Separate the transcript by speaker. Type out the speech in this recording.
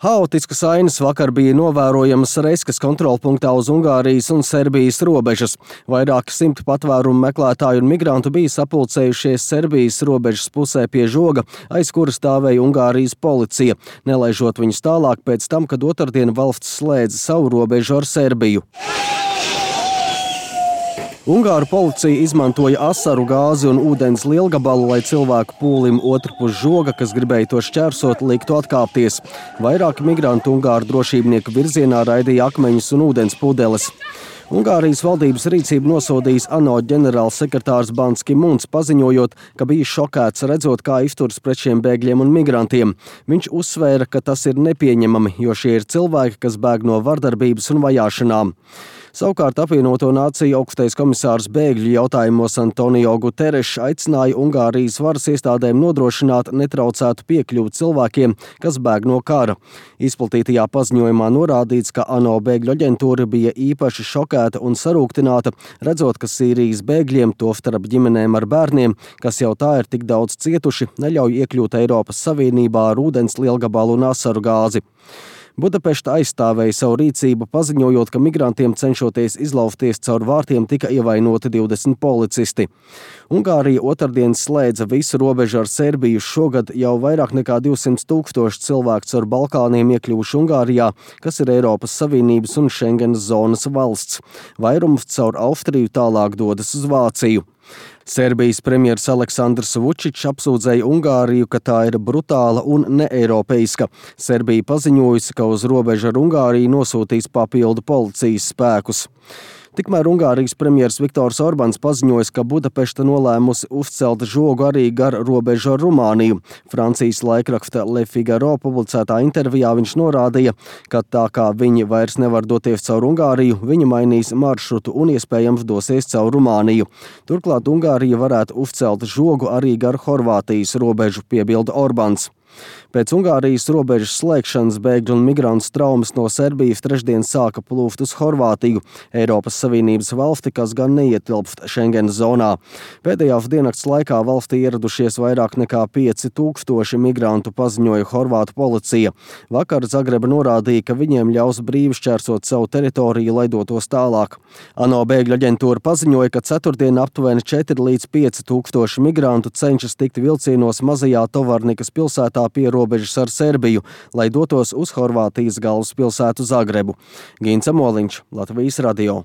Speaker 1: Haotiskas ainas vakar bija novērojamas Reskas kontrolpunktā uz Ungārijas un Serbijas robežas. Vairāki simti patvērumu meklētāju un migrantu bija sapulcējušies Serbijas robežas pusē pie žoga, aiz kura stāvēja Ungārijas policija, nelaižot viņus tālāk pēc tam, kad otrdien valsts slēdza savu robežu ar Serbiju. Ungāru policija izmantoja asaru gāzi un ūdens lielgabalu, lai cilvēku pūlim otrpus žoga, kas gribēja to šķērsot, liktu atkāpties. Vairāki migrantu Ungāru drošībnieku virzienā raidīja akmeņus un ūdens pudeles. Ungārijas valdības rīcību nosodījis ANO ģenerālsekretārs Bans Ki-muns, paziņojot, ka bija šokēts redzot, kā izturas pret šiem bēgļiem un migrantiem. Viņš uzsvēra, ka tas ir nepieņemami, jo šie ir cilvēki, kas bēg no vardarbības un vajāšanām. Savukārt apvienoto nāciju augstais komisārs bēgļu jautājumos Antonio Guterres aicināja Ungārijas varas iestādēm nodrošināt netraucētu piekļuvi cilvēkiem, kas bēg no kara. Izplatītajā paziņojumā norādīts, ka ANO bēgļu aģentūra bija īpaši šokēta un sarūktināta, redzot, ka Sīrijas bēgļiem, tostarp ģimenēm ar bērniem, kas jau tā ir tik daudz cietuši, neļauj iekļūt Eiropas Savienībā ar ūdens lielgabalu un asaru gāzi. Budapešta aizstāvēja savu rīcību, paziņojot, ka migrantiem cenšoties izlaufties caur vārtiem tika ievainoti 20 policisti. Ungārija otrdien slēdza visu robežu ar Serbiju. Šogad jau vairāk nekā 200 000 cilvēku caur Balkāniem iekļuvuši Ungārijā, kas ir Eiropas Savienības un Schengenas zonas valsts. Vairums caur Austriju tālāk dodas uz Vāciju. Serbijas premjers Aleksandrs Vučičs apsūdzēja Ungāriju, ka tā ir brutāla un neeiropeiska. Serbija paziņojusi, ka uz robežu ar Ungāriju nosūtīs papildu policijas spēkus. Tikmēr Ungārijas premjers Viktors Orbāns paziņoja, ka Budapešta nolēmusi uzcelt žogu arī gar robežu ar Rumāniju. Francijas laikraksta Le Figaro publicētā intervijā viņš norādīja, ka tā kā viņi vairs nevar doties caur Ungāriju, viņi mainīs maršrutu un iespējams dosies caur Rumāniju. Turklāt Ungārija varētu uzcelt žogu arī gar Horvātijas robežu, piebilda Orbāns. Pēc Ungārijas robežas slēgšanas bēgļu un migrantu straumes no Serbijas trešdien sāka plūst uz Horvātiju, Eiropas Savienības valsti, kas gan neietilpst Schengenas zonā. Pēdējās diennakts laikā valstī ieradušies vairāk nekā 5000 migrantu, paziņoja Horvātu policija. Vakar Zagreba norādīja, ka viņiem ļaus brīvi šķērsot savu teritoriju, lai dotos tālāk. ANO bēgļu aģentūra paziņoja, ka ceturtdien aptuveni 4 līdz 5000 migrantu cenšas tikt vilcienos mazajā Tovarnikas pilsētā pie robežas ar Serbiju, lai dotos uz Horvātijas galvaspilsētu Zagrebu. Gints Amoliņš, Latvijas radio.